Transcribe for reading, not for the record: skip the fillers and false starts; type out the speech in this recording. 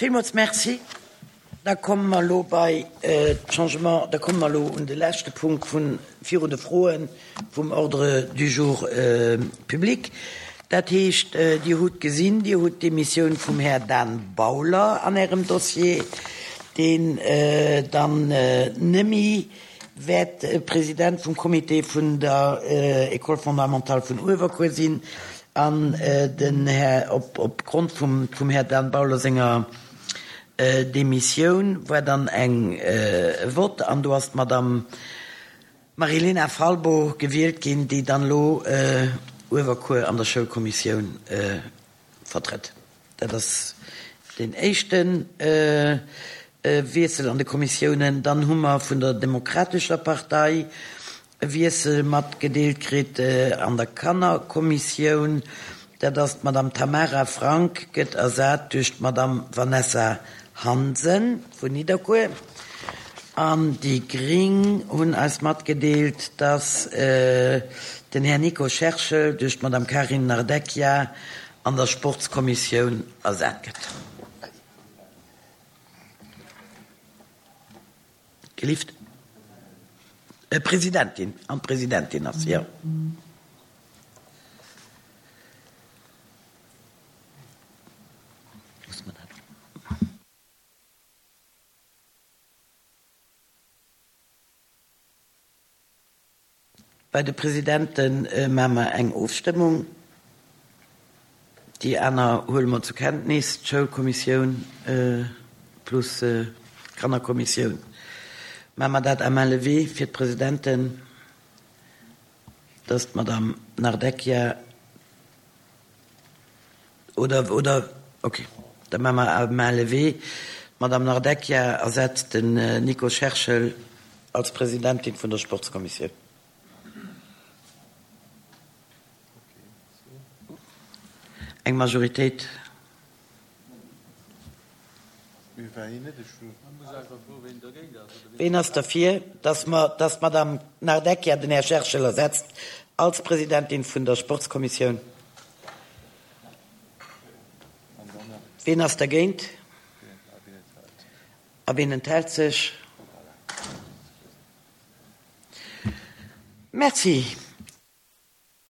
Villmools Merci. Da komme mer elo bei d'Changement, da komme mer elo un de leschte Punkt vun, virun de Froen vum Ordre du jour public. Dat heescht, Dir hutt gesinn, Dir hutt d'Demissioun vum Här Dan Bauler an Ärem Dossier, deen dann nemme wäert President vum Comité vun der École fondamentale vun Uewerkuer sinn an den Här, op opgrond vum vum Här Dan Bauler senger Demissioun war dann eng e Vott an do ass d'Madame Marilena Falbo gewielt ginn, déi dann elo Uewerkuer an der Schoulkommissioun vertrëtt. Dat ass deen éischte Wiessel an de Kommissiounen. Dann hu mer vun der Demokratescher Partei e Wiessel matgedeelt kritt an der Kannerkommissioun. Dat ass d'Madame Tamara Frank gëtt ersat duerch d'Madame Vanessa Hansen vun Nidderkuer. An déi Gring hunn eis matgedeelt, dass den Här Nico Scherschel duerch d'Madame Karin Nardecchia an der Sportskommissioun ersat gëtt. Gelift. Presidentin, an d'Presidentin ass, jo. Bei de Presidente maache mer eng Ofstëmmung. Déi aner huele mer zur Kenntnis, d'Schoulkommissioun plus d'Kannerkommissioun. Maache mer dat à main levée fir d'Presidenten, dass d'Madame Nardecchia oder, oder, okay, da maache mer à main levée. D'Madame Nardecchia ersetzt den Nico Scherschel als Presidentin vun der Sportskommissioun. Eng Majoritéit. Ween ass derfir, dass mer, dass d'Madame Nardecchia den Här Scherschel ersetzt als Presidentin vun der Sportskommissioun? Ween ass dergéint? A ween enthält sech? Merci.